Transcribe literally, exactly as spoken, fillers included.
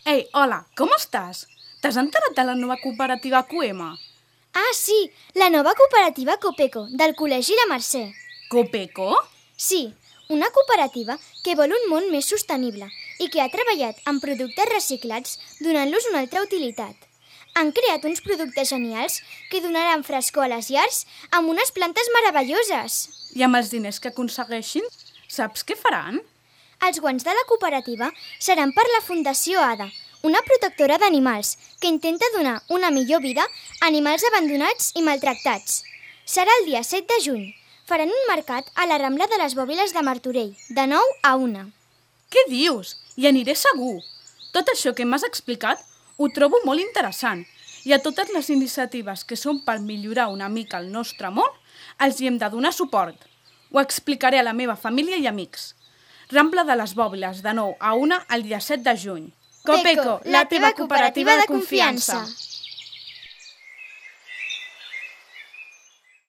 Ei, hola, com estàs? T'has enterat de la nova cooperativa Coema? Ah, sí, la nova cooperativa Copeco, del Col·legi La Mercè. Copeco? Sí, una cooperativa que vol un món més sostenible i que ha treballat amb productes reciclats donant-los una altra utilitat. Han creat uns productes genials que donaran frescor a les llars amb unes plantes meravelloses. I amb els diners que aconsegueixin, saps què faran? Els guanys de la cooperativa seran per la Fundació ADA, una protectora d'animals que intenta donar una millor vida a animals abandonats i maltractats. Serà el dia set de juny. Faran un mercat a la Rambla de les Bòbiles de Martorell, de nou a una. Què dius? Hi aniré segur. Tot això que m'has explicat ho trobo molt interessant i a totes les iniciatives que són per millorar una mica el nostre món els hi hem de donar suport. Ho explicaré a la meva família i amics. Rambla de les Bòbiles, de nou a una el dia set de juny. Copeco, la teva cooperativa de confiança.